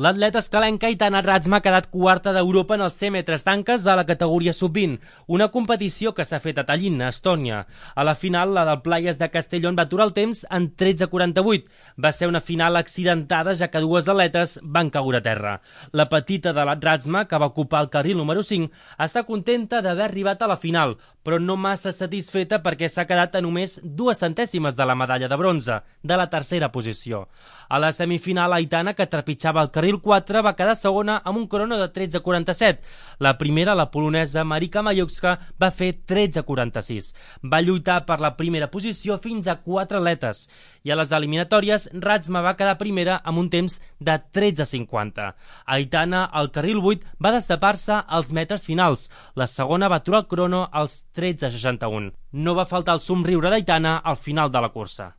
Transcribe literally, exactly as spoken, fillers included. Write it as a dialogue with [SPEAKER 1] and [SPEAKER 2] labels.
[SPEAKER 1] L'atleta escalenca Aitana Razma ha quedat quarta d'Europa en els cent metres tanques a la categoria sub vint, una competició que s'ha fet a Tallinn, a Estònia. A la final, la del Playas de Castellón va aturar el temps en tretze quaranta-vuit. Va ser una final accidentada, ja que dues atletes van caure a terra. La petita de la Razma, que va ocupar el carril número cinc, està contenta d'haver arribat a la final, però no massa satisfeta perquè s'ha quedat a només dues centèsimes de la medalla de bronze, de la tercera posició. A la semifinal, Aitana, que trepitjava el carril quatre, va quedar segona amb un crono de tretze quaranta-set. La primera, la polonesa Marika Majewska, va fer tretze quaranta-sis. Va lluitar per la primera posició fins a quatre atletes. I a les eliminatòries, Razma va quedar primera amb un temps de tretze cinquanta. Aitana, al carril vuit, va destapar-se als metres finals. La segona va aturar el crono als tretze seixanta-u. No va faltar el somriure d'Aitana al final de la cursa.